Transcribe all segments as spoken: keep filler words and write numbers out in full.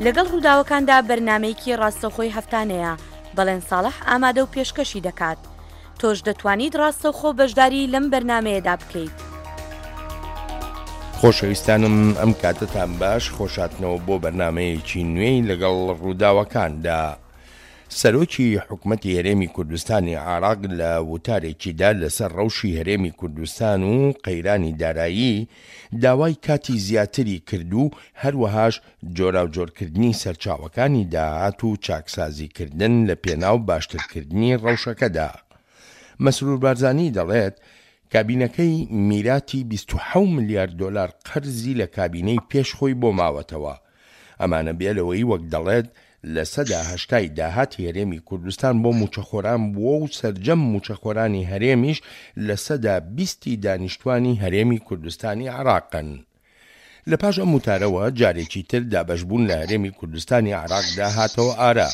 لەگەڵ ڕووداوەکاندا بەرنامەیەکی ڕاستەوخۆی هەفتانەیە، بەڵێن ساڵح ئامادە و پێشکەشی دەکات. تۆش دەتوانیت ڕاستەوخۆ بەشداری لەم بەرنامەیەدا بکەیت. خۆشەویستانم ئەم کاتەتان باش، خۆشاتنەوە بۆ بەرنامەیەکی نوێی لەگەڵ ڕووداوەکاندا. سەرۆکی حکومەتی هەرێمی کوردستانی عێراق لە وتارێکیدا لەسەر ڕەوشی هەرێمی کوردستان و قەیرانی دارایی داوای کاتی زیاتری کرد و هەروەهاش جۆراوجۆرکردنی سەرچاوەکانی داهات و چاکسازیکردن لە پێناو باشترکردنی ڕەوشەکەدا. مەسرور بارزانی دەڵێت، کابینەکەی میراتی بیست و حەوت ملیار دۆلار قەرزی لە کابینەی پێش خۆی بۆ ماوەتەوە. ئەمانە بێ لەوەی وەک دەڵێت لە سەدا هەشتای داهاتی هەرێمی کوردستان بۆ موچەخۆران بووە و سەرجەم موچەخۆرانی هەرێمیش لە سەدا بیستی دانیشتوانی هەرێمی کوردستانی عێراقن. لە پاش ئەم وتارەوە جارێکی تر دابەشبوون لە هەرێمی کوردستانی عێراقدا هاتەوە ئارا.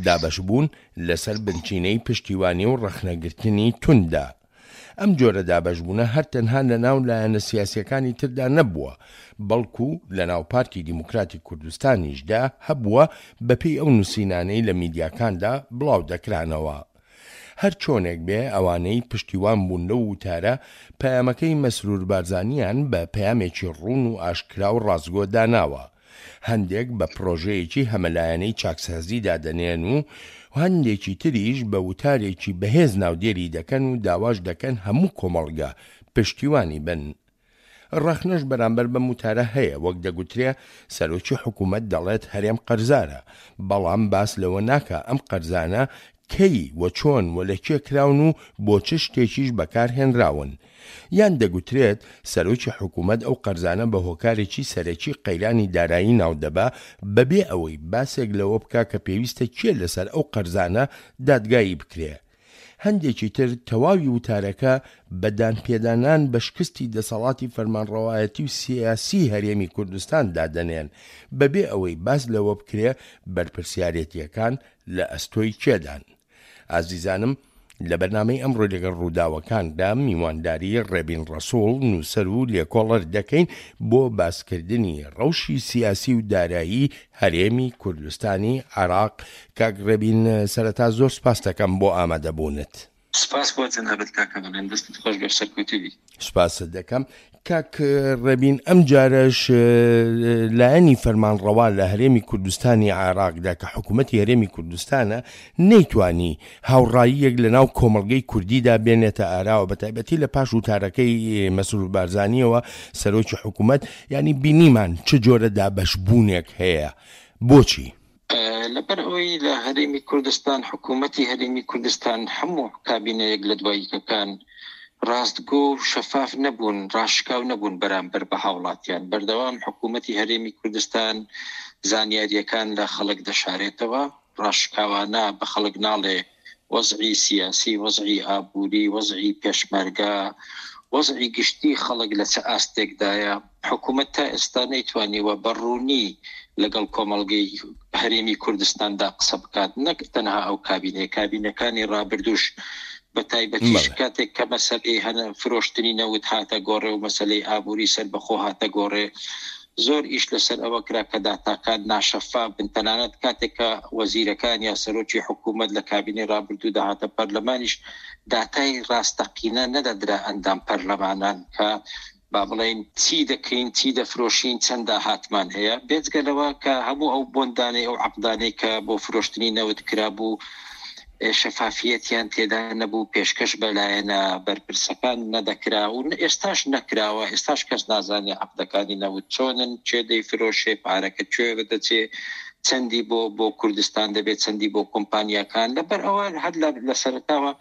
دابەشبوون لەسەر بنچینەی پشتیوانی و ڕەخنەگرتنی تونددا. ئەم جۆرە دابەشبوونە هەر تەنها لە ناو لایەنە سیاسیەکانی تردا نەبووە، بەڵکو لە ناو پارتی دیموکراتی کوردستانیشدا هەبووە بەپێی ئەو نووسینانەی لە میدیاکاندا بڵاو دەکرانەوە. هەر چۆنێک بێ ئەوانەی پشتیوان بوون لەو وتارە پەیامەکەی مەسرور بارزانیان بە پەیامێکی ڕوون و ئاشکرا و ڕاستگۆ داناوە. هەندێک بە پرۆژەیەکی هەمەلایەنەی چاکسازی دادەنێن و هەندێکی تریش بە وتارێکی بەهێز ناودێری دەکەن و داواش دەکەن هەموو کۆمەڵگە پشتیوانی بن. ڕەخنەش بەرامبەر بەم وتارە هەیە، وەک دەگوترێ سەرۆکی حکوومەت دەڵێت هەرێم قەرزارە، بەڵام باس لەوە ناکا ئەم قەرزانە کەی و چۆن و لە کێ کراون و بۆ چ شتێکیش بەکارهێنراون. یان دەگوترێت سەرۆکی حکوومەت ئەو قەرزانە بە هۆکارێکی سەرەکی قەیرانی دارایی ناودەبا بەبێ ئەوەی باسێک لەوە بکا کە پێویستە کێ لەسەر ئەو قەرزانە دادگایی بکرێ. هەندێکی تر تەواوی وتارەکە بە دانپێدانان بە شکستی دەسەڵاتی فەرمانڕەوایەتی و سیاسی هەرێمی کوردستان دادەنێن بەبێ ئەوەی باس لەوە بکرێ بەرپرسیارێتیەکان لە ئەستۆی کێدان. ئازیزانم لە بەرنامەی ئەمڕۆ لەگەڵ ڕووداوەکاندا میوانداری ڕێبین ڕەسوڵ نووسەر و لێکۆڵەر دەکەین بۆ باسکردنی ڕەوشی سیاسی و دارایی هەرێمی کوردستانی عێراق. کاک ڕێبین، سەرەتا زۆر سپاس دەکەم بۆ ئامادەبوونت. سپاس بۆ جەنابت کاکە بەڵێن، دەستت خۆش بێ، سەرکەوتوو بی. سپاست دەکەم کاک ڕێبین. ئەم جارەش لایەنی فەرمانڕەوا لە هەرێمی کوردستانی عێراقدا کە حکوومەتی هەرێمی کوردستانە نەیتوانی هاوڕاییەک لە ناو کۆمەڵگەی کوردیدا بێنێتە ئاراوە، بە تایبەتی لە پاش وتارەکەی مەسرور بارزانیەوە سەرۆکی حکوومەت، ینی بینیمان چ جۆرە دابەشبوونێک هەیە. بۆچی؟ لەبەر ئەوەی لە هەرێمی کوردستان حکوومەتی هەرێمی کوردستان هەموو کابینەیەک لە دواییەکان ڕاستگۆ و شەفاف نەبوون، ڕاشکاو نەبوون بەرامبەر بە هاوڵاتیان. بەردەوام حکوومەتی هەرێمی کوردستان زانیاریەکان لە خەڵک دەشارێتەوە، ڕاشکاوانە بە خەڵک ناڵێ وەزعی سیاسی، وەزعی ئابووری، وەزعی پێشمەرگە، وەزعی گشتی خەڵک لە چه ئاستێکدایە. حکوومەت تا ئێستا نەیتوانیوە بە ڕوونی لەگەڵ کۆمەڵگەی هەرێمی کوردستاندا قسە بکات، نەک تەنها ئەو کابینەیە، کابینەکانی ڕابردووش بە تایبەتیش کاتێک کە مەسەلەی هەنە فرۆشتنی نەوت هاتە گۆڕێ و مەسەلەی ئابووری سەربەخۆ هاتە گۆڕێ، زۆر ئیش لەسەر ئەوە کرا کە داتاکان ناشەفاف بن. تەنانەت کاتێک کە وەزیرەکان یا سەرۆکی حکوومەت لە کابینەی ڕابردوو داهاتە پەرلەمانیش داتای ڕاستەقینە نەدەدرا ئەندام پەرلەمانان کە با بڵێین چی دەکەین، چی دەفرۆشین، چەند داهاتمان هەیە. بێجگە لەوە کە هەموو ئەو بۆندانەی ئەو عەقدانەی کە بۆ فرۆشتنی نەوت کرابوو شەفافیەتیان تێدا نەبوو، پێشکەش بە لایەنە بەرپرسەکان نەدەکرا و ئێستاش نەکراوە. ئێستاش کەس نازانێ عەقدەکانی نەوت چۆنن، کێ دەیفرۆشێ، پارەکە کوێ دەچێ، چەندی بۆ بۆ کوردستان دەبێت، چەندی بۆ کۆمپانیاکان. لەبەر ئەوە هەر لە سەرەتاوە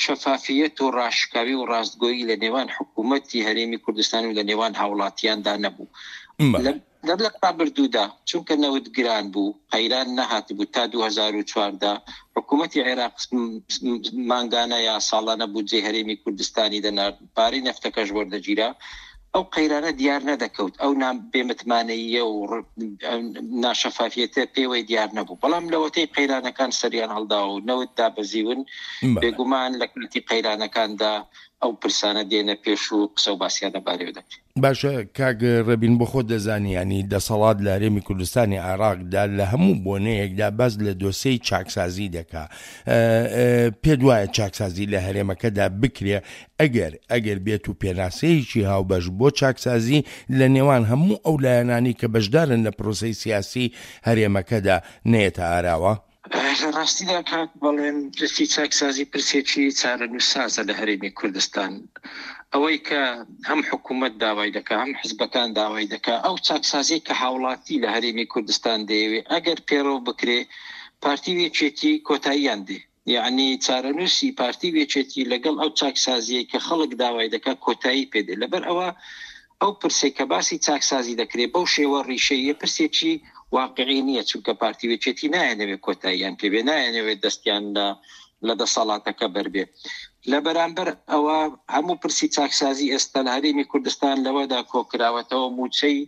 شەفافیەت و ڕاشکاوی و ڕاستگۆیی لە نێوان حکوومەتی هەرێمی کوردستان و لە نێوان هاوڵاتیاندا نەبوو. لە ڕابردوودا چونکە نەوت گران بوو، قەیران نەهاتبوو تا دوو هەزار و چواردە حکوومەتی عێراق مانگانە یا ساڵانە بودجەی هەرێمی کوردستانی دەنارد، پارەی نەفتەکەش وەردەگیرا. ئەو قەیرانە دیار نەدەکەوت، ئەو بێمتمانەییە و ناشەفافیەتە پێوەی دیار نەبوو. بەڵام لەوەتەی قەیرانەکان سەریان هەڵداوە و نەوت دابەزیون، بێگومان لە کاتی قەیرانەکاندا ئەو پرسانە دێنە پێش و قسە و باسییان لەبارەیەوە دەکرێت. باشە کاک ڕێبین، بۆ خۆت دەزانی یانی دەسەڵات لە هەرێمی کوردستانی عێراقدا لە هەموو بۆنەیەکدا باس لە دۆسێی چاکسازی دەکا، پێت وایە چاکسازی لە هەرێمەکەدا بکرێ ئەگەر ئەگەر بێت و پێناسەیەکی هاوبەش بۆ چاکسازی لە نێوان هەموو ئەو لایەنانی کە بەشدارن لە پرۆسەی سیاسی هەرێمەکەدا نەیەتە ئاراوە؟ لە ڕاستیدا کاک بەڵێن، پرسی چاکسازی پرسێکی چارەنووسسازە لە هەرێمی کوردستان. ئەوەی کە هەم حکوومەت داوای دەکا، هەم حزبەکان داوای دەکا، ئەو چاکسازیەی کە هاوڵاتی لە هەرێمی کوردستان دەیەوێ ئەگەر پێڕەو بکرێ، پارتی و یەکێتی کۆتاییان دێ. یەعنی چارەنووسی پارتی و یەکێتی لەگەڵ ئەو چاکسازیەی کە خەڵک داوای دەکا کۆتایی پێ دێ. لەبەر ئەوە ئەو پرسێک کە باسی چاکسازی دەکرێت بەو شێوە ڕیشەیە پرسێکی واقعی نییە، چونکە پارتی و یەکێتی نایەنەوێت کۆتاییان پێ بێ، نایەنەوێت دەستیان لە لە دەسەڵاتەکە بەربێ. لە بەرامبەر ئەوە هەموو پرسی چاکسازی ئێستا لە هەرێمی کوردستان لەوەدا کۆکراوەتەوە موچەی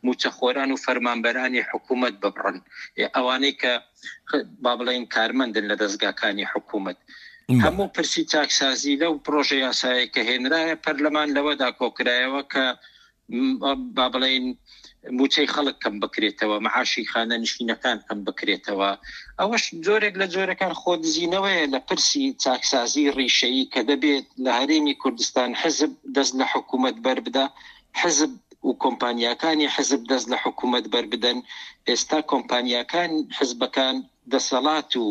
موچەخۆران و فەرمانبەرانی حکوومەت ببڕن، ئەوانەی کە با بڵێین کارمەندن لە دەستگاکانی حکوومەت. هەموو پرسی چاکسازی لەو پرۆژە یاسایە کە هێنرایە پەرلەمان لەوەدا کۆکرایەوە کە با بڵێین موچەی خەڵک کەم بکرێتەوە، معاشی خانەنشینەکان کەم بکرێتەوە. ئەوەش جۆرێک لە جۆرەکان خۆدزینەوەیە لە پرسی چاکسازی ڕیشەیی کە دەبێت لە هەرێمی کوردستان حزب دەست لە حکوومەت بەربدا، حزب و کۆمپانیاکانی حزب دەست لە حکوومەت بەربدەن. ئێستا کۆمپانیاکان حزبەکان دەسەڵات و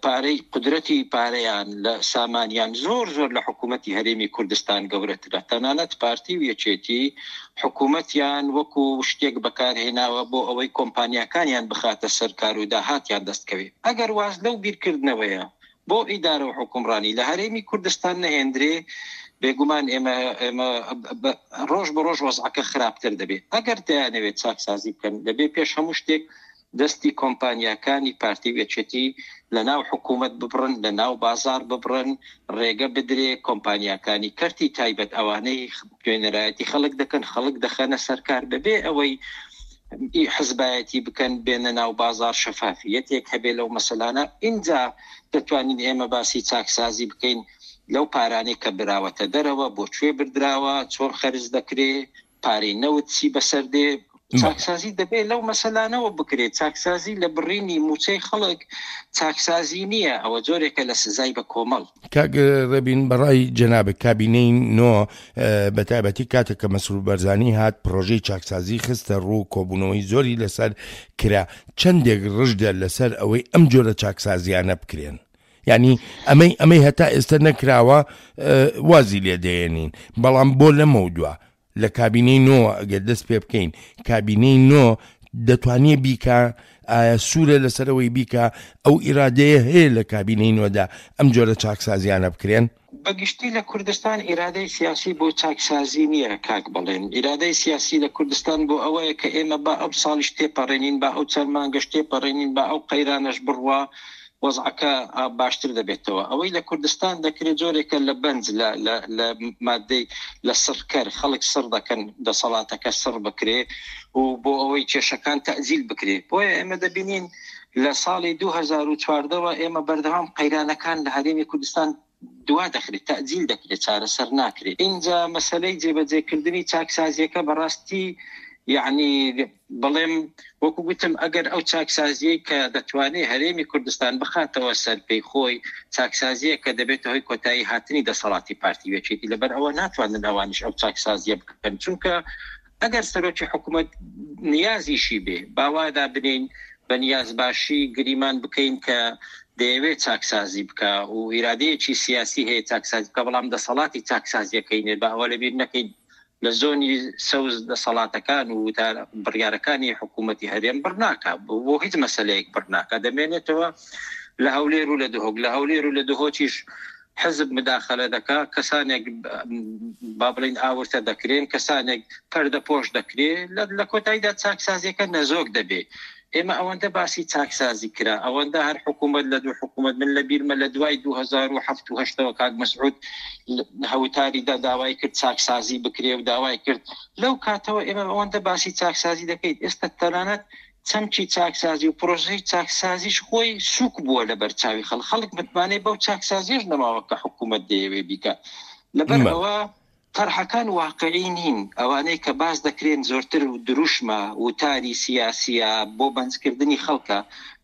پارەی قدرەتی پارەیان لە سامانیان زۆر زۆر لە حکوومەتی هەرێمی کوردستان گەورەترە. تەنانەت پارتی و یەکێتی حکوومەتیان وەکو شتێک بەکارهێناوە بۆ ئەوەی کۆمپانیاکانیان بخاتە سەر کار و داهاتیان دەستکەوێت. ئەگەر واز لەو بیرکردنەوەیە بۆ ئیدارە و حکومڕانی لە هەرێمی کوردستان نەهێندرێ، بێگومان ئێمە ئێمە ڕۆژ بە ڕۆژ وەزعەکە خراپتر دەبێت. ئەگەر دەیانەوێت چاکسازی بکەن، دەبێت پێش هەموو شتێک دەستی کۆمپانیاکانی پارتی و یەکێتی لە ناو حکوومەت ببڕن، لە ناو بازار ببڕن، ڕێگە بدرێ کۆمپانیاکانی کەرتی تایبەت ئەوانەی نوێنەرایەتی خەڵک دەکەن، خەڵک دەخەنە سەرکار بەبێ ئەوەی حزبایەتی بکەن، بێنە ناو بازار، شەفافیەتێک هەبێ لەو مەسەلانە. ئینجا دەتوانین ئێمە باسی چاکسازی بکەین لەو پارانەی کە براوەتە دەرەوە، بۆ کوێ بردراوە، چۆن خەرج دەکرێ، پارەی نەوت چی بەسەر دێ. چاکسازی دەبێت لەو مەسەلانەوە بکرێت. چاکسازی لە بڕینی موچەی خەڵک چاکسازی نییە، ئەوە جۆرێکە لە سزای بە کۆمەڵ. کاک ڕێبین، بەڕای جەنابت کابینەی نۆ بە تایبەتی کاتێک کە مەسرور بەرزانی هات پرۆژەی چاکسازی خستە ڕوو، کۆبوونەوەی زۆری لەسەر کرا، چەندێک ڕژدە لەسەر ئەوەی ئەم جۆرە چاکسازیانە بکرێن؟ یعنی ئەمەی ئەمەی هەتا ئێستا نەکراوە وازی لێدەیەنین، بەڵام بۆ لەمە دوا لە کابینەی نۆ ئەگەر دەست پێ بکەین، کابینەی نۆ دەتوانێت بیکا؟ ئایا سوورە لەسەرەوەی بیکا؟ ئەو ئیرادەیە هەیە لە کابینەی نۆدا ئەم جۆرە چاکسازیانە بکرێن؟ بەگشتی لە کوردستان ئیرادەی سیاسی بۆ چاکسازی نییە کاک بڵێن. ئیرادەی سیاسی لە کوردستان بۆ ئەوەیە کە ئێمە با ئەو ساڵیش تێپەڕێنین، با ئەو چەند مانگەش تێپەڕێنین، با ئەو قەیرانەش بڕوا، وەزعەکە باشتر دەبێتەوە. ئەوەی لە کوردستان دەکرێت جۆرێکە لە بەنج، لە مادەی لە سڕکەر، خەڵک سڕ دەکەن، دەسەڵاتەکە سڕ بکرێ و بۆ ئەوەی کێشەکان تەئجیل بکرێ. بۆیە ئێمە دەبینین لە ساڵی دوو هەزار و چواردەوە ئێمە بەردەوام قەیرانەکان لە هەرێمی کوردستان دوا دەخرێت، تەئجیل دەکرێت، چارەسەر ناکرێت. اینجا مەسەلەی جێبەجێکردنی چاکسازیەکە بەڕاستی یعنی بڵێم وەکو گوتم ئەگەر ئەو چاکسازیەی کە دەتوانێت هەرێمی کوردستان بخاتەوە سەر پێی خۆی، چاکسازیە کە دەبێتە هۆی کۆتایی هاتنی دەسەڵاتی پارتی و یەکێتی، لەبەر ئەوە ناتوانن ئەوانیش ئەو چاکسازیە بکەن. چونکە ئەگەر سەرۆکی حکوومەت نیازیشی بێ، باوادا بنین بە نیاز باشی گریمان بکەین کە دەیەوێت چاکسازی بکە و ئیرادەیەکی سیاسی هەیە چاکسازی بکە، بەڵام دەسەڵاتی چاکسازیەکەی نێت. بە ئەوە لەبیر نەکەین لە زۆنی سەوز دەسەڵاتەکان و بڕیارەکانی حکوومەتی هەرێم بڕناکە، بۆ هیچ مەسەلەیەک بڕناکە، دەمێنێتەوە لە هەولێر و لە دهۆک. لە هەولێر و لە دهۆکیش حزب مداخلە دەکا، کەسانێک با بڵین ئاورتە دەکرێن، کەسانێک پەردەپۆش دەکرێت، لە کۆتاییدا چاکسازیەکە نەزۆک دەبێت. ئێمە ئەوەندە باسی چاکسازی کرا، ئەوەندە هەر حکوومەت لە دوو حکوومەت، من لە بیرمە لە دوای دوو هەزار و حەفت و هەشتەوە کاک مەسعود هەوتاریدا داوای کرد چاکسازی بکرێ و داوای کرد. لەو کاتەوە ئێمە ئەوەندە باسی چاکسازی دەکەیت، ئێستا تەنانەت چەمکی چاکسازی و پرۆژەی چاکسازیش خۆی سوک بووە لە بەرچاوی خەڵک. خەڵک متمانەی بەو چاکسازیش نەماوە کە حکوومەت دەیەوێ بیکات. لەبەر ئەوە تەرحەکان واقعی نین. ئەوانەی کە باس دەکرێن زۆرتر دروشمە وتاری سیاسیە بۆ بەنجکردنی خەڵکە،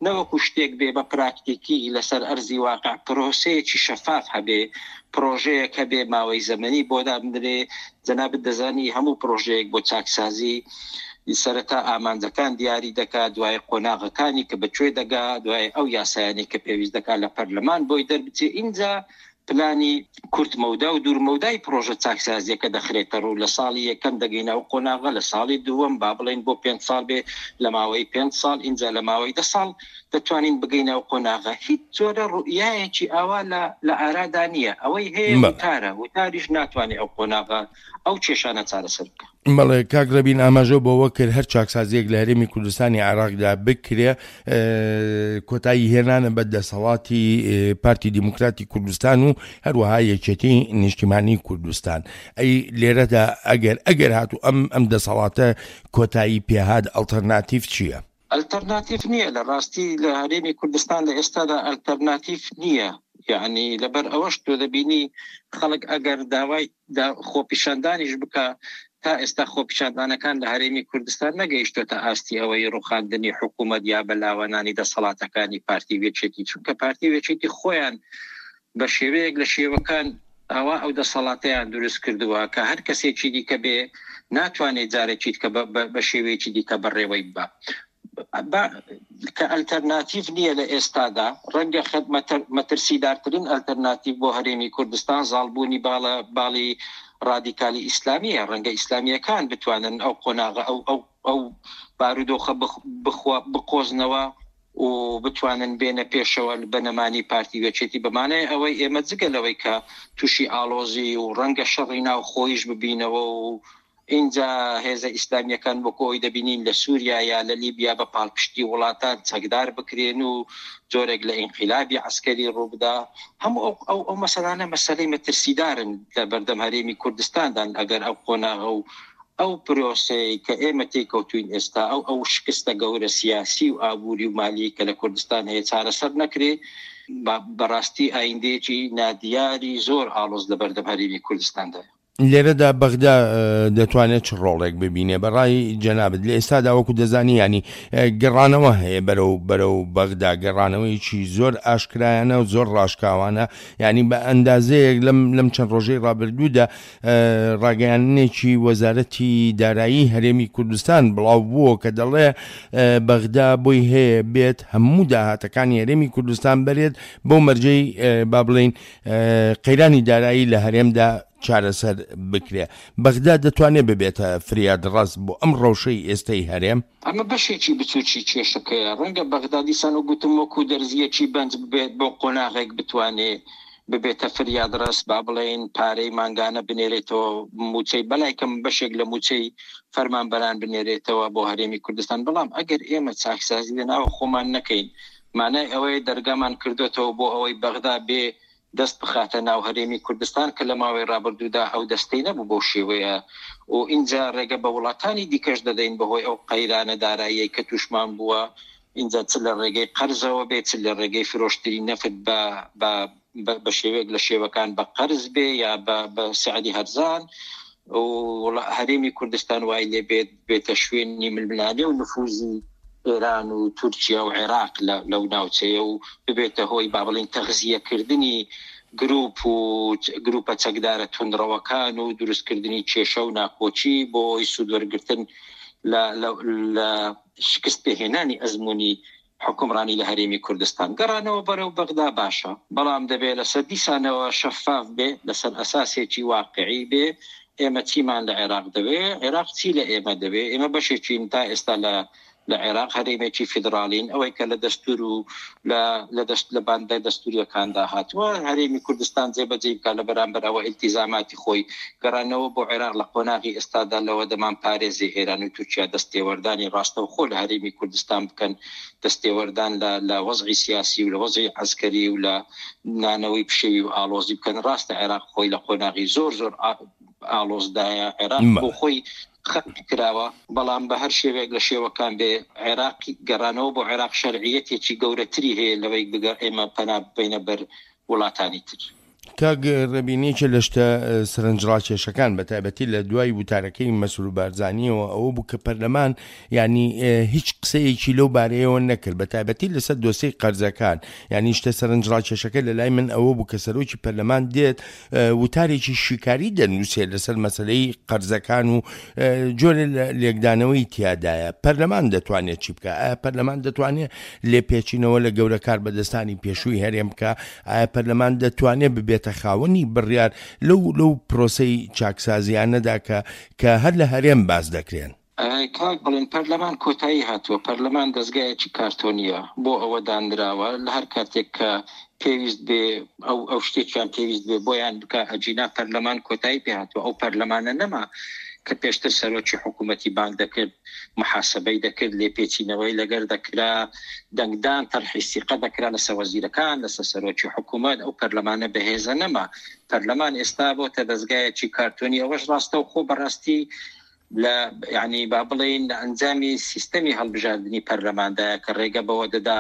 نەوەکو شتێک بێ بە پراکتیکی لەسەر ئەرزی واقع پرۆسەیەکی شەفاف هەبێ، پرۆژەیەک هەبێ ماوەی زەمەنی بۆ دابنرێ. جەنابت دەزانی هەموو پرۆژەیەک بۆ چاکسازی سەرەتا ئامانجەکان دیاری دەکات، دوای قۆناغەکانی کە بەکوێ دەگا، دوای ئەو یاسایانی کە پێویست دەکات لە پەرلەمان بۆی دەربچێ، ئینجا پلانی کورت مەودا و دوور مەودای پرۆژە چاکسازیەکە دەخرێتە ڕوو. لە ساڵی یەکەم دەگەینە ئەو قۆناغە، لە ساڵی دووەم با بڵێین بۆ پێنج ساڵ بێ، لە ماوەی پێنج ساڵ، ئینجا لە ماوەی دە ساڵ دەتوانین بگەینە ئەو قۆناغە. هیچ جۆرە ڕوئیایەکی ئاوا لە ئارادا نییە. ئەوەی هەیە وتارە، وتاریش ناتوانێت ئەو قۆناغە ئەو کێشانە چارەسەر بکە. بەڵێ کاک ڕەبین ئاماژە بەوە کرد هەر چاکسازیەک لە هەرێمی کوردستانی عێراقدا بکرێ کۆتایی هێنانە بە دەسەڵاتی پارتی دیموکراتی کوردستان و هەروەها یەکێتی نیشتیمانی کوردستان. ئەی لێرەدا ئەگەر ئەگەر هاتوو ئەم ئەم دەسەڵاتە کۆتایی پێهات، ئەلتەرناتیڤ چییە؟ ئەلتەرناتیڤ نییە لە ڕاستی لە هەرێمی کوردستان لە ئێستادا ئەلتەرناتیڤ نییە. یعنی لەبەر ئەوەش تۆ دەبینی خەڵک ئەگەر داوای خۆپیشاندانیش بکە، تا ئێستا خۆپیشاندانەکان لە هەرێمی کوردستان نەگەیشتۆتە ئاستی ئەوەی ڕوخاندنی حکوومەت یا بەلاوەنانی دەسەڵاتەکانی پارتی وێچێتی، چونکە پارتی وێچێتی خۆیان بە شێوەیەک لە شێوەکان ئەوە ئەو دەسەڵاتەیان دروست کردووە کە هەر کەسێکی دیکە بێ ناتوانێت جارێکی کە بە شێوەیەکی دیکە بەڕێوەی ببا. کە ئەلتەرناتیڤ نییە لە ئێستادا. ڕەنگە مەترسیدارترین ئەلتەرناتیڤ بۆ هەرێمی کوردستان زاڵبوونی باڵی ڕادیکالی ئیسلامیە. ڕەنگە ئیسلامیەکان بتوانن ئەو قۆناغە ئەو ئەو ئەو بارودۆخە بقۆزنەوە و بتوانن بێنە پێشەوە بەنەمانی پارتی وێچێتی. بەمانای ئەوەی ئێمە جگە لەوەی کە تووشی ئاڵۆزی و ڕەنگە شەڕی ناوخۆیش ببینەوە و اینجا هێزە ئیسلامیەکان وەکو ئەوی دەبینین لە سووریا یا لە لیبیا بە پاڵپشتی وڵاتان چەکدار بکرێن و جۆرێک لە ئینقلابی عەسکەری ڕووبدا، هەموو ئەو ئەو ئەو مەسەلانە مەسەلەی مەترسیدارن لە بەردەم هەرێمی کوردستاندان. ئەگەر ئەو قۆناغە و ئەو پرۆسەی کە ئێمە تێکەوتوین ئێستا، ئەو ئەو شکستە گەورە سیاسی و ئابووری و مالی کە لە کوردستان هەیە چارەسەر نەکرێ، بەڕاستی ئایندەیەکی نادیاری زۆر ئاڵۆز لە بەردەم هەرێمی کوردستاندایە. لێرەدا بەغدا دەتوانێت چ ڕۆڵێک ببینێ بەڕای جەنابت لە ئێستادا؟ وەکو دەزانی ینی گەڕانەوە هەیە بەرەو بەرەو بەغدا، گەڕانەوەیکی زۆر ئاشکرایانە و زۆر ڕاشکاوانە، ینی بە ئەندازەیەک لەم لەم چەند ڕۆژەی ڕابردوودا ڕاگەیاندنێکی وەزارەتی دارایی هەرێمی کوردستان بڵاو بووە کە دەڵێ بەغدا بۆی هەیە بێت هەموو داهاتەکانی هەرێمی کوردستان بەرێت بۆ مەرجەی با بڵین قەیرانی دارایی لە هەرێمدا چارەسەر بکرێ. بەغدا دەتوانێت ببێتە فریاد ڕاست بۆ ئەم ڕەوشەی ئێستای هەرێم؟ ئەمە بەشێکی بچووکی کێشەکەیە. ڕەنگە بەغدا دیسان و گوتم وەکو دەرزیەکی بەنج ببێت بۆ قۆناغێک بتوانێ ببێتە فریاد ڕاست، با بڵێن پارەی مانگانە بنێرێتەوە، موچەی بەلای کەم بەشێک لە موچەی فەرمانبەران بنێرێتەوە بۆ هەرێمی کوردستان. بەڵام ئەگەر ئێمە چاکسازی لەناو خۆمان نەکەین، مانای ئەوەیە دەرگامان کردوێتەوە بۆ ئەوەی بەغدا بێ دەست بخاتە ناو هەرێمی کوردستان کە لە ماوەی ڕابردوودا ئەو دەستەی نەبوو بەو شێوەیە و اینجا ڕێگە بە وڵاتانی دیکەش دەدەین بەهۆی ئەو قەیرانە داراییەی کە تووشمان بووە، اینجا چ لە ڕێگەی قەرزەوە بێت، چ لە ڕێگەی فرۆشتنی نەفت بە بە شێوەیەک لە شێوەکان بە قەرز بێ یا بە سعری هەرزان و هەرێمی کوردستان وای لێ بێت بێتە شوێنی ململانێ و نفوزی ئێران و تورکیا و عێراق لەو ناوچەیە و ببێتە هۆی با بڵێین تەغزیەکردنی گروپ و گروپە چەکدارە توندڕەوەکان و دروستکردنی کێشە و ناکۆکی بۆ ئەوەی سوودوەرگرتن لە شکست پێهێنانی ئەزمموی حکومڕانی لە هەرێمی کوردستان. گەڕانەوە بەرەو بەغدا باشە، بەڵام دەبێت لەسەر دیسانەوە شەفاف بێ، لەسەر ئەساسێکی واقعی بێ. ئێمە چیمان لە عێراق دەوێ، عێراق چی لە ئێمە دەوێ؟ ئێمە بەشێکین تا ئێستا لە لە عێراق هەرێمێکی فیدراڵین، ئەوەی کە لە دەستور و لە دەست لە باندە دەستوریەکاندا هاتووە هەرێمی کوردستان جێبەجێ بکات لە بەرامبەر ئەوە ئیلتیزاماتی خۆی. گەڕانەوە بۆ عێراق لە قۆناغی ئێستادا لەوە دەمان پارێزی ئێران و تورکیا دەستێوەردانی ڕاستەوخۆ لە هەرێمی کوردستان بکەن، دەستێوەردان لە وەزعی سیاسی و لە وەزعی عەسکەری و لە نانەوەی پشێوی و ئاڵۆزی بکەن. ڕاستە عێراق خۆی لە قۆناغی زۆر زۆر ئاڵۆزدایە، عێراق بۆ خۆی خەت کراوە، بەڵام بە هەر شێوەیەک لە شێوەکان بێ عێراق گەڕانەوە بۆ عێراق شەرعیەتێکی گەورەتری هەیە لەوەی بگە ئێمە پەنا ببەینە بەر وڵاتانی تر. کاک ڕێبین، یەکێ لە شتە سەرنجڕاکێشەکان بە تایبەتی لە دوای وتارەکەی مەسرور بارزانیەوە ئەوە بوو کە پەرلەمان یعنی هیچ قسەیەکی لەو بارەیەوە نەکرد، بە تایبەتی لەسەر دۆسیەی قەرزەکان. یعنی شتە سەرنجڕاکێشەکە لە لای من ئەوە بوو کە سەرۆکی پەرلەمان دێت وتارێکی شیکاری دەنووسێت لەسەر مەسلەی قەرزەکان و جۆرە لێکدانەوەی تیادایە. پەرلەمان دەتوانێت چی بکە؟ ئایا پەرلەمان دەتوانێت لێپێچینەوە لە گەورەکار بەدەستانی پێشووی هەرێم بکە؟ ئایا پەرلەمان دەتوانێت ببێتە خاوەنی بڕیار لەو لەو پرۆسەی چاکسازیانەدا کە کە هەر لە هەرێم باز دەکرێن؟ کاک بڵێن پەرلەمان کۆتایی هاتووە. پەرلەمان دەستگایەکی کارتۆنیە بۆ ئەوە دانراوە لە هەر کاتێک کە پێویست بێ ئەو ئەو شتێکیان پێویست بێ بۆیان بکە. ئەجینا پەرلەمان کۆتایی پێ هاتووە. ئەو پەرلەمانە نەما کە پێشتر سەرۆکی حکوومەتی بانگ دەکرد، محاسبەی دەکرد، لێپێچینەوەی لەگەر دەکرا، دەنگدان تەرحی سیقە دەکرا لەسەر وەزیرەکان، لەسەر سەرۆکی حکوومەت. ئەو پەرلەمانە بەهێزە نەما. پەرلەمان ئێستا بۆتە دەستگایەکی کارتۆنی. ئەوەش ڕاستەوخۆ بەڕاستی لە یعنی با بڵێین لە ئەنجامی سیستەمی هەڵبژاردنی پەرلەماندایە کە ڕێگە بەوە دەدا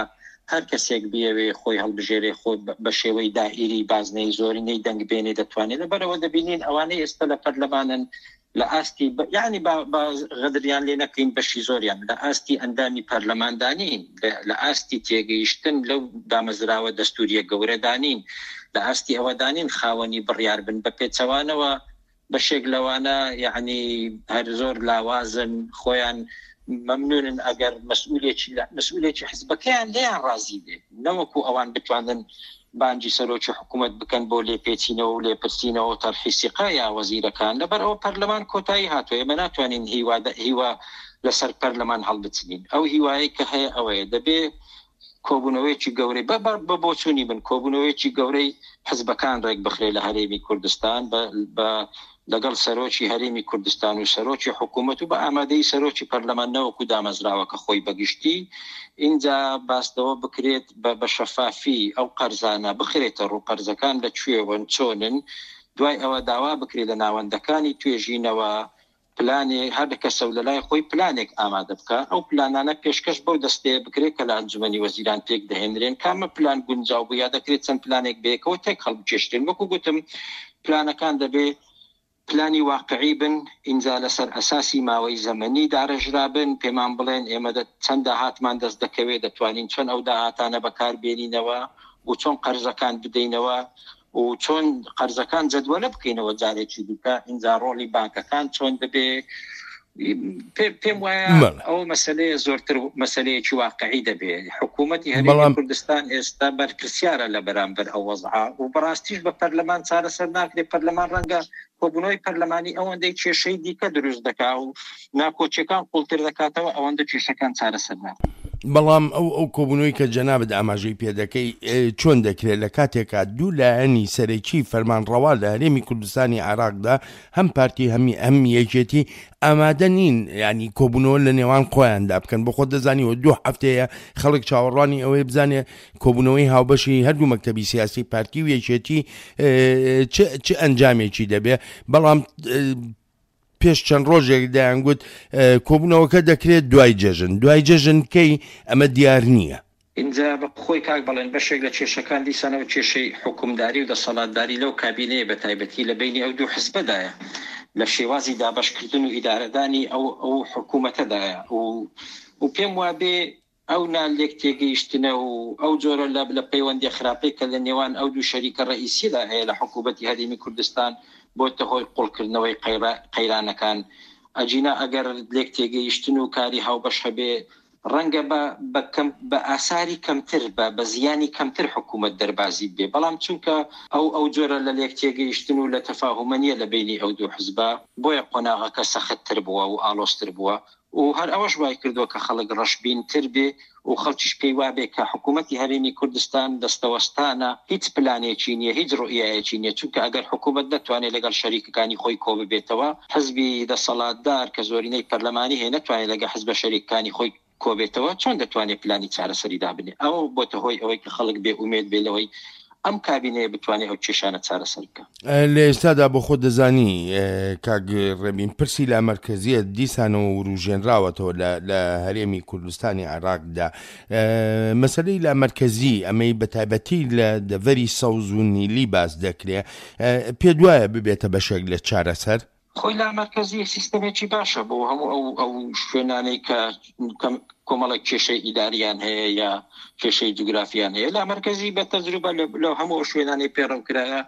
هەر کەسێک بیەوێ خۆی هەڵبژێرێ، خۆ بە شێوەی دائیری بازنەی زۆرینەی دەنگ بێنێ دەتوانێت. لەبەرەوە دەبینین ئەوانەی ئێستا لە پەرلەمانن لە ئاستی یعنی با غەدریان لێ نەکەین، بەشی زۆریان لە ئاستی ئەندامی پەرلەماندانین، لە ئاستی تێگەیشتن لەو دامەزراوە دەستوریە گەورەدانین، لە ئاستی ئەوەدانین خاوەنی بڕیار بن. بە پێچەوانەوە بەشێک لەوانە یعنی هەر زۆر لاوازن، خۆیان مەمنونن ئەگەر مەسئولێکی مەسئولێکی حزبەکەیان لێیان ڕازی بێ، نەوەکو ئەوان بتوانن بانجی سەرۆکی حکوومەت بکەن بۆ لێپێچینەوە و لێپرسینەوە و تەرحی سیقە یا وەزیرەکان. لەبەر ئەوە پەرلەمان کۆتایی هاتووە. ئێمە ناتوانین هیوا هیوا لەسەر پەرلەمان هەڵبچنین. ئەو هیوایەی کە هەیە ئەوەیە دەبێ کۆبوونەوەیەکی گەورەی بە بۆچوونی بن، کۆبوونەوەیەکی گەورەی حزبەکان ڕێک بخرێ لە هەرێمی کوردستان بە لەگەڵ سەرۆکی هەرێمی کوردستان و سەرۆکی حکوومەت و بە ئامادەی سەرۆکی پەرلەمان نەوەکو دامەزراوە کە خۆی بەگشتی، ئینجا باستەوە بکرێت بە شەفافی ئەو قەرزانە بخرێتە ڕوو، قەرزەکان لە کوێوەن، چۆنن. دوای ئەوە داوا بکرێت لە ناوەندەکانی توێژینەوە پلانێ هەر کەسە و لەلای خۆی پلانێک ئامادە بکە، ئەو پلانانە پێشکەش بەو دەستەیە بکرێت کە لە ئەنجومەنی وەزیران پێک دەهێنرێن. کامە پلان گونجاو بوو یا دەکرێت چەند پلانێک بەیەکەوە تێک هەڵبکێشرێن. وەکو گوتم پلانەکان دەبێ پلانی واقعی بن، ئینجا لەسەر ئەساسی ماوەی زەمەنی داڕێژرا بن، پێمان بڵێن ئێمە چەند داهاتمان دەست دەکەوێت، دەتوانین چۆن ئەو داهاتانە بەکاربێنینەوە و چۆن قەرزەکان بدەینەوە و چۆن قەرزەکان جەدوەلە بکەینەوە جارێکی دیکە، ئینجا ڕۆڵی بانکەکان چۆن دەبێ. پێم وایە ئەو مەسلەیە زۆرتر مەسلەیەکی واقعی دەبێت. حکوومەتی هەرێمی کوردستان ئێستا بەرپرسیارە لە بەرامبەر ئەو وەزعە و بەڕاستیش بە پەرلەمان چارەسەر ناکرێت. پەرلەمان ڕەنگە کۆبوونەوەی پەرلەمانی ئەوەندەی کێشەی دیکە دروست دەکا و ناکۆچیەکان قوڵتر دەکاتەوە، ئەوەندە کێشەکان چارەسەر ناکرێت. بەڵام ئەو ئەو کۆبوونەوەی کە جەنابت ئاماژەی پێدەکەی چۆن دەکرێت لە کاتێکا دوو لایەنی سەرەکی فەرمانڕەوا لە هەرێمی کوردستانی عێراقدا هەم پارتی هەمی ئەم یەکێتی ئامادە نین ینی کۆبوونەوە لە نێوان خۆیاندا بکەن؟ بۆ خۆت دەزانیەوە دوو هەفتەیە خەڵک چاوەڕوانی ئەوەی بزانێ کۆبوونەوەی هاوبەشی هەردوو مەکتەبی سیاسی پارتی و یەکێتی چ ئەنجامێکی دەبێ. بەڵام پێش چەند ڕۆژێک دەیانگوت کۆبوونەوەکە دەکرێت دوای جەژن، دوای جەژن کەی ئەمە دیار نییە. ئینجا بە خۆی کاک بڵێن بەشێک لە کێشەکان دیسانەوە کێشەی حکومداری و دەسەڵاتداری لەو کابینەیە بە تایبەتی لە بینی ئەو دوو حزبەدایە، لە شێوازی دابەشکردن و ئیدارەدانی ئەو ئەو حکوومەتەدایە و پێم وابێ ئەو نالێک تێگەیشتنە و ئەو جۆرە لە لە پەیوەندی خراپەی کە لە نێوان ئەو دوو شەریکە ڕئیسیدا هەیە لە حکوومەتی هەرێمی کوردستان بۆتە هۆی قوڵکردنەوەی قەیرانەکان. ئەجینا ئەگەر لێک تێگەیشتن و کاری هاوبەش هەبێ ڕەنگە بە ئاساری کەمتر بە زیانی کەمتر حکوومەت دەربازی بێ، بەڵام چونکە ئەو ئەو جۆرە لە لێک تێگەیشتن و لە تەفاهومە نییە لە بینی ئەو دوو حزبە، بۆیە قۆناغەکە سەختتر بووە و ئالۆزتر بووە و هەر ئەوەش وای کردووە کە خەڵک ڕەشبینتر بێ و خەڵکیش پێی وابێ کە حکوومەتی هەرێمی کوردستان دەستەوەستانە، هیچ پلانێکی نییە، هیچ ڕوئیایەکی نییە. چونکە ئەگەر حکوومەت نەتوانێت لەگەڵ شەریکەکانی خۆی کۆ ببێتەوە، حزبی دەسەڵاتدار کە زۆرینەی پەرلەمانی هەیە نەتوانێت لەگەڵ حزبە شەریکەکانی خۆی کۆبێتەوە، چۆن دەتوانێت پلانی چارەسەری دابنێ؟ ئەوە بۆتە هۆی ئەوەی کە خەڵک بێ ئومێد بێ لەوەی ئەم کابینەیە بتوانێت ئەو کێشانە چارەسەر بکە. لە ئێستادا بۆ خۆت دەزانی کاک ڕێبین، پرسی لامەرکەزیەت دیسانەوە وروژێنراوەتەوە لە هەرێمی کوردستانی عێراقدا. مەسەلەی لامەرکەزی ئەمەی بە تایبەتی لە دەڤەری سەوز و نیلی باس دەکرێ، پێ دوایە ببێتە بەشێک لە چارەسەر؟ خۆی لامەرکەزی سیستەمێکی باشە بۆ هەموو ئەو ئەو شوێنانەی کە کۆمەڵێک کێشەی ئیداریان هەیە یا کێشەی جوگرافیان هەیە. لامەرکەزی بە تەجروبە لە هەموو شوێنانەی پەیڕەو کرایە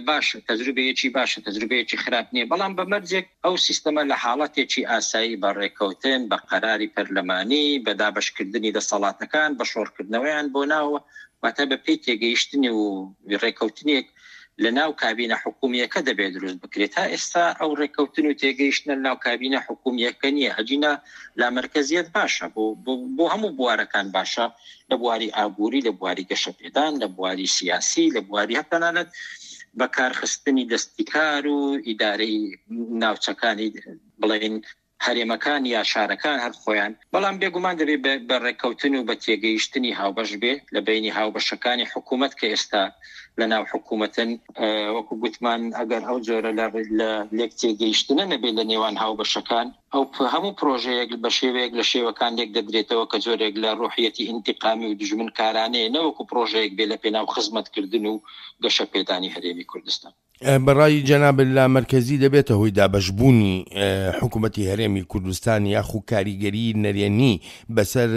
باشە، تەجروبەیەکی باشە، تەجروبەیەکی خراپ نییە، بەڵام بە مەرجێک ئەو سیستەمە لە حاڵەتێکی ئاسایی بە ڕێککەوتن، بە قەراری پەرلەمانی، بە دابەشکردنی دەسەڵاتەکان، بە شۆڕکردنەوەیان بۆ ناوە، واتە بە پێی تێگەیشتنی و ڕێککەوتنێک لە ناو کابینە حکومیەکە دەبێت دروست بکرێت. تا ئێستا ئەو ڕێککەوتن و تێگەیشتنە لە ناو کابینە حکومیەکە نییە. ئەجینا لامەرکەزیەت باشە بۆ هەموو بوارەکان باشە، لە بواری ئابووری، لە بواری گەشەپێدان، لە بواری سیاسی، لە بواری هەتەنانەت بەکارخستنی دەستیکار و ئیدارەی ناوچەکانی بڵێن هەرێمەکان یا شارەکان هەر خۆیان. بەڵام بێگومان دەبێت بە ڕێککەوتن و بە تێگەیشتنی هاوبەش بێ لە بینی هاوبەشەکانی حکوومەت کە ئێستا لە ناو حکوومەتن. وەکو گوتمان ئەگەر ئەو جۆرە لە لێک تێگەیشتنە نەبێت لە نێوان هاوبەشەکان، ئەو هەموو پرۆژەیەک بە شێوەیەک لە شێوەکان لێک دەدرێتەوە کە جۆرێک لە ڕوحیەتی ئینتیقامی و دوژمنکارانەیە، نەوەکو پرۆژەیەک بێ لە پێناو خزمەتکردن و گەشەپێدانی هەرێمی کوردستان. بەڕای جەناب لامەرکەزی دەبێتە هۆی دابەشبوونی حکوومەتی هەرێمی کوردستان یاخو کاریگەری نەرێنی بەسەر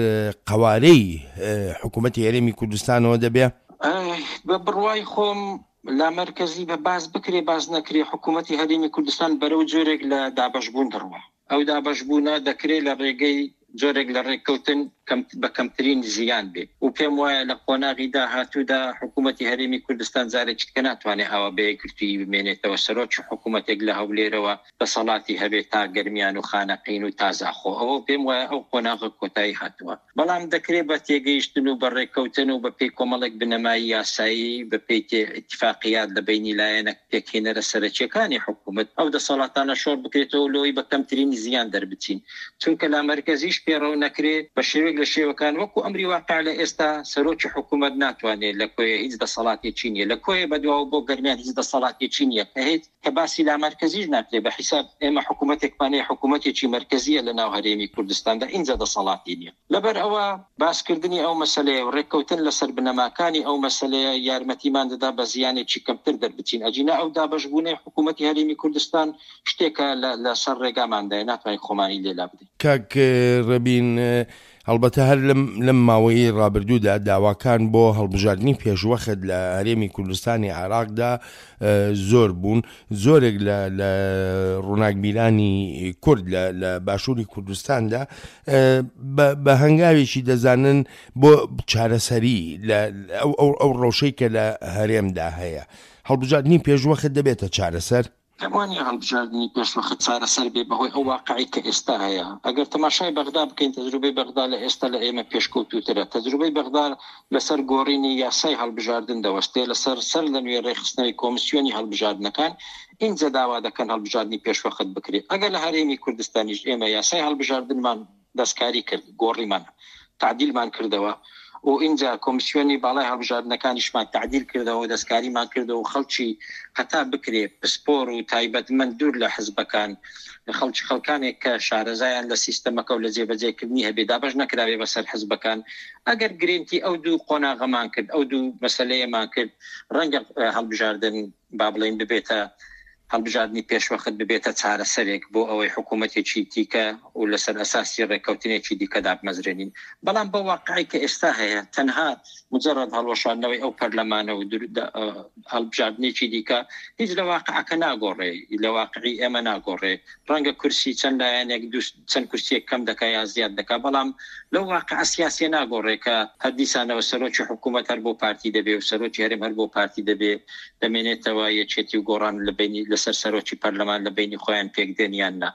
قەوارەی حکوومەتی هەرێمی کوردستانەوە دەبێ؟ بە بڕوای خۆم لامەرکەزی بە باز بکرێ باز نەکرێ حکوومەتی هەرێمی کوردستان بەرەو جۆرێک لە دابەشبوون دەڕوا. ئەو دابەشبوونە دەکرێت لە ڕێگەی جۆرێک لە ڕێککەوتن بە کەمترین زیان بێ و پێم وایە لە قۆناغی داهاتوودا حکوومەتی هەرێمی کوردستان جارێکی کە ناتوانێت ئاوا بە یەکگرتوویی بمێنێتەوە. سەرۆکی حکوومەتێک لە هەولێرەوە دەسەڵاتی هەبێت تا گەرمیان و خانەقین و تازاخۆ، ئەوە پێم وایە ئەو قۆناغە کۆتایی هاتووە. بەڵام دەکرێت بە تێگەیشتن و بە ڕێککەوتن و بە پێی کۆمەڵێک بنەمای یاسایی، بە پێی ئیتفاقیات لە بینی لایەنە پێکهێنەرە سەرەکیەکانی حکوومەت ئەو دەسەڵاتانە شۆڕ بکرێتەوە لۆی بە کەمترین زیان دەربچین. چونکە لامەرکەزیش پێڕەو نەکرێت بە شێوەیەک لە شێوەکان وەکو ئەمری واقع لە ئێستا سەرۆکی حکوومەت ناتوانێت لە کۆیە هیچ دەسەڵاتێکی نییە، لە کۆیە بەدواوە بۆ گەرمیان هیچ دەسەڵاتێکی نییە کە هیچ کە باسی لامەرکەزیش ناکرێت. بە حیساب ئێمە حکوومەتێکمان هەیە، حکوومەتێکی مەرکەزیە لە ناو هەرێمی کوردستاندا، ئینجا دەسەڵاتی نییە. لەبەر ئەوە باسکردنی ئەو مەسەلەیە و ڕێککەوتن لەسەر بنەماکانی ئەو مەسەلەیە یارمەتیمان دەدا بە زیانێکی کەمتر دەربچین. ئەجینا ئەو دابەشبوونەی حکوومەتی هەرێمی کوردستان شتێکە لەسەر ڕێگاماندایە، ناتوانین خۆمانی لێ لا بدەین. کاک ڕێبین، هەڵبەتە هەر لەم ماوەیەی ڕابردوودا داواکان بۆ هەڵبژاردنی پێشوەخت لە هەرێمی کوردستانی عێراقدا زۆر بوون. زۆرێک لە ڕووناکبیرانی کورد لە باشووری کوردستاندا بە هەنگاوێکی دەزانن بۆ چارەسەری ئەو ڕەوشەی کە لە هەرێمدا هەیە. هەڵبژاردنی پێشوەخت دەبێتە چارەسەر؟ پێم وانییە هەڵبژاردنی پێشوەخت چارەسەر بێ بەهۆی ئەو واقعی کە ئێستا هەیە. ئەگەر تەماشای بەغدا بکەین، تەجروبەی بەغدا لە ئێستا لە ئێمە پێشکەوتوترە. تەجروبەی بەغدا لەسەر گۆڕینی یاسای هەڵبژاردن دەوەستێ، لەسەر سەر لە نوێ ڕێکخستنەوەی کۆمسیۆنی هەڵبژاردنەکان، ئینجا داوا دەکەن هەڵبژاردنی پێشوەخت بکرێت. ئەگەر لە هەرێمی کوردستانیش ئێمە یاسای هەڵبژاردنمان دەستکاری کرد، گۆڕیمان، تعدیلمان کردەوە و ئینجا کۆمسیۆنی باڵای هەڵبژاردنەکانیشمان تعدیل کردەوە، دەستکاریمان کردەوە و خەڵکی هەتا بکرێ پسپۆر و تایبەتمەند دوور لە حزبەکان، خەڵکی خەڵکانێک کە شارەزایان لە سیستەمەکە و لە جێبەجێکردنی هەبێ دابەش نەکراوێ بەسەر حزبەکان. ئەگەر گرنتی ئەو دوو قۆناغەمان کرد، ئەو دوو مەسلەیەمان کرد، ڕەنگە هەڵبژاردن با بڵێین ببێتە هەڵبژاردنی پێشوەخت ببێتە چارەسەرێک بۆ ئەوەی حکوومەتێکی دیکە و لەسەر ئەساسی ڕێککەوتنێکی دیکە دابمەزرێنین. بەڵام بە واقعی کە ئێستا هەیە، تەنها مجرد هەڵوەشاندنەوەی ئەو پەرلەمانە و هەڵبژاردنێکی دیکە هیچ لە واقعەکە ناگۆڕێ، لە واقعی ئێمە ناگۆڕێ. ڕەنگە کورسی چەند لایەنێک چەند کورسیەک کەم دەکا یا زیاد دەکا، بەڵام لەو واقع سیاسیە ناگۆڕێ کە هەر دیسانەوە سەرۆکی حکوومەت هەر بۆ پارتی دەبێ و سەرۆکی هەرێم هەر بۆ پارتی دەبێ، دەمێنێتەوە یەکێتی و گۆڕان لە بینی لەسەر سەرۆکی پەرلەمان لە بینی خۆیان پێک دێن یان نا.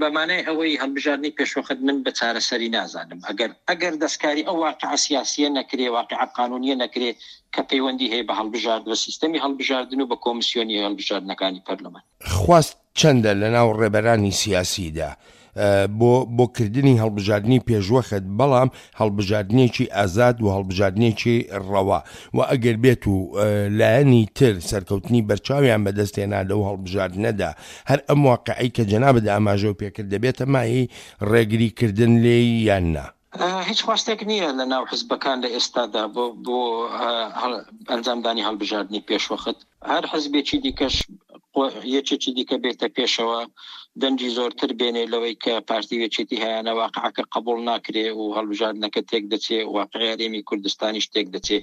بەمانای ئەوەی هەڵبژاردنی پێشوەخت من بە چارەسەری نازانم. ئەگەر ئەگەر دەستکاری ئەو واقع سیاسیە نەکرێ، واقع قانونیە نەکرێ کە پەیوەندی هەیە بە هەڵبژارد بە سیستەمی هەڵبژاردن و بە کۆمسیۆنی هەڵبژاردنەکانی پەرلەمان. خواست چەندە لە ناو ڕێبەرانی سیاسیدا بۆ بۆ کردنی هەڵبژاردنی پێشوەخت، بەڵام هەڵبژاردنێکی ئازاد و هەڵبژاردنێکی ڕەوا، و ئەگەر بێت و لایەنی تر سەرکەوتنی بەرچاویان بەدەستێنا لەو هەڵبژاردنەدا، هەر ئەم واقعی کە جەنابت ئاماژەو پێکرد دەبێتە مایەی ڕێگریکردن لێی یان نا؟ هیچ خواستێک نییە لە ناو حزبەکان لە ئێستادا بۆ بۆ ئەنجامدانی هەڵبژاردنی پێشوەخت. هەر حزبێکی دیکەش یەکێکی دیکە بێتە پێشەوە دەنگی زۆرتر بێنێ لەوەی کە پارتی و یەکێتی هەیانە، واقعەکە قبول ناکرێ و هەڵبژاردنەکە تێک دەچێ، واقعی هەرێمی کوردستانیش تێک دەچێ.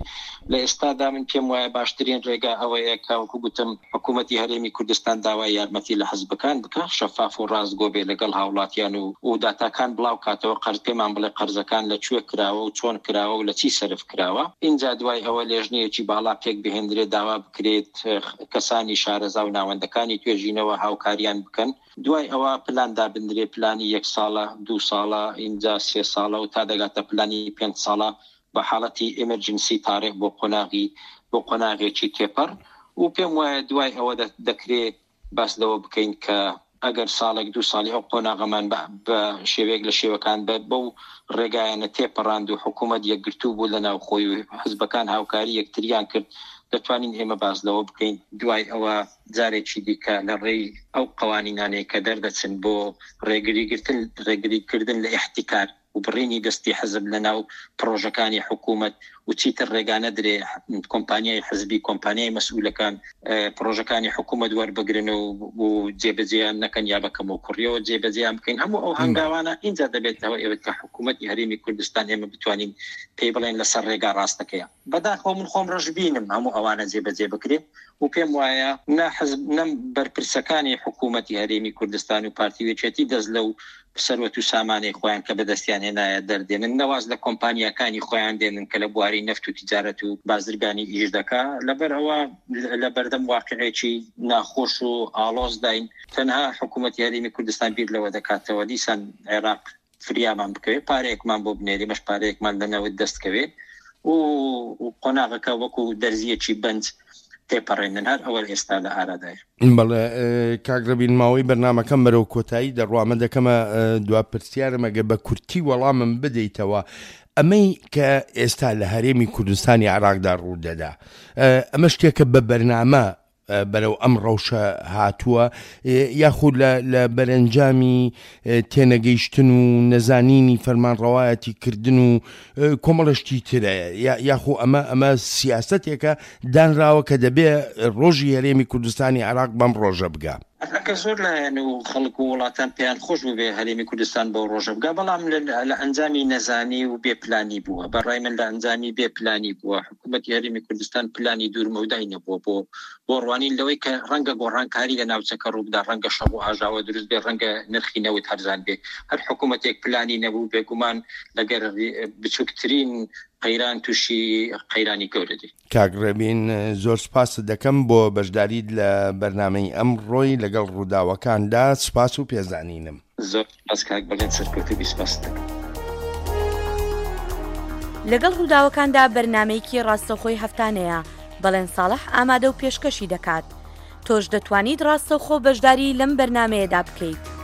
لە ئێستادا من پێم وایە باشترین ڕێگا ئەوەیە کە وەکو گوتم حکوومەتی هەرێمی کوردستان داوای یارمەتی لە حزبەکان بکە، شەفاف و ڕاستگۆ بێ لەگەڵ هاوڵاتیان و و داتاکان بڵاو کاتەوە، قەرز پێمان بڵێ قەرزەکان لە کوێ کراوە و چۆن کراوە و لە چی سەرف کراوە. ئینجا دوای ئەوە لێژنەیەکی باڵا پێک بهێندرێ، داوا بکرێت کەسانی شارەزا و ناوەندەکانی توێژینەوە هاوکاریان بکەن. دوای ئەوە پلان دابندرێ، پلانی یەک ساڵە، دوو ساڵە، ئینجا سێ ساڵە و تا دەگاتە پلانی پێنج ساڵە بە حاڵەتی ئێمەرجنسی تاریخ بۆ قۆناغی بۆ قۆناغێکی تێپەڕ. و پێم وایە دوای ئەوە دەکرێ باس لەوە بکەین کە ئەگەر ساڵێک دوو ساڵی ئەو قۆناغەمان بە شێوەیەک لە شێوەکان بە بەو ڕێگایانە تێپەڕاند و حکوومەت یەکگرتوو بوو لە ناوخۆی و حزبەکان هاوکاری یەکتریان کرد، دەتوانین ئێمە باس لەوە بکەین. دوای ئەوە جارێکی دیکە لە ڕێی ئەو قوانینانەی کە دەردەچن بۆ ڕێگریگرتن ڕێگریکردن لە ئیحتیکار و بڕینی دەستی حزب لە ناو پرۆژەکانی حکوومەت و چیتر ڕێگا نەدرێ کۆمپانیای حزبی، کۆمپانیای مەسئولەکان پرۆژەکانی حکوومەت وەربگرن و جێبەجێیان نەکەن یا بەکەم و کوڕیەوە جێبەجێیان بکەین. هەموو ئەو هەنگاوانە ئینجا دەبێتەوە ئێوە کە حکوومەتی هەرێمی کوردستان ئێمە بتوانین پێی بڵێن لەسەر ڕێگا ڕاستەکەیە. بەداخەوە من خۆم ڕەشبینم هەموو ئەوانە جێبەجێ بکرێت و پێم وایە نە حزب نەم بەرپرسەکانی حکوومەتی هەرێمی کوردستان و پارتی و یەکێتی دەست لەو سەروەت و سامانەی خۆیان کە بەدەستیان هێنایە دەردێنن، نەواز لە کۆمپانیاکانی خۆیان دێنن کە لە بواری نەفت و تیجارەت و بازرگانی ئیش دەکا. لەبەر ئەوە لە بەردەم واقعێکی ناخۆش و ئاڵۆزداین. تەنها حکوومەتی هەرێمی کوردستان بیر لەوە دەکاتەوە دیسان عێراق فریامان بکەوێت، پارەیەکمان بۆ بنێری، مەش پارەیەکمان لە نەوت دەست کەوێت و قۆناغەکە وەکو دەرزیەکی بەنج تێپەڕێنن. هەر ئەوە ئێستا لە ئارادایە. بەڵێ کاک ڕەبین، ماوەی بەرنامەکەم بەرەو کۆتایی دەڕوامە دەکەمە دوا پرسیارم، ئەگەر بە کورتی وەڵامم بدەیتەوە، ئەمەی کە ئێستا لە هەرێمی کوردستانی عێراقدا ڕوودەدا، ئەمە شتێکە بە بەرنامە بەرەو ئەم ڕەوشە هاتووە یاخود لە بەرەنجامی تێنەگەیشتن و نەزانینی فەرمانڕەوایەتی کردن و کۆمەڵشتی ترە، یاخو ئەمە ئەمە سیاسەتێکە دانراوە کە دەبێ ڕۆژی هەرێمی کوردستانی عێراق بەم ڕۆژە بگا؟ ئەکە زۆر لایەن و خەڵک و وڵاتان پێیان خۆش بوو بێ هەرێمی کوردستان بەو ڕۆژە بگا، بەڵام لە ئەنجامی نەزانی و بێپلانی بووە. بەڕای من لە ئەنجامی بێپلانی بووە. حکوومەتی هەرێمی کوردستان پلانی دوورمەودای نەبووە بۆ بۆ ڕوانین لەوەی کە ڕەنگە گۆڕانکاری لە ناوچەکە ڕووبدا، ڕەنگە شەڕ و ئاژاوە دروست بێ، ڕەنگە نرخی نەوت هەرزان بێ. هەر حکوومەتێک پلانی نەبوو بێگومان لەگەر بچووکترین قەیران تووشی قەیرانی گەورە دێ. کاک ڕێبین، زۆر سپاست دەکەم بۆ بەشداریت لە بەرنامەی ئەمڕۆی لەگەڵ ڕووداوەکاندا. سپاس و پێزانینم. زۆر سپاس کاک بەڵێن، سەرکەوتوو بی. سپاست دەکەم. لەگەڵ ڕووداوەکاندا بەرنامەیەکی ڕاستەوخۆی هەفتانەیە، بەڵێن ساڵح ئامادە و پێشکەشی دەکات. تۆش دەتوانیت ڕاستەوخۆ بەشداری لەم بەرنامەیەدا بکەیت.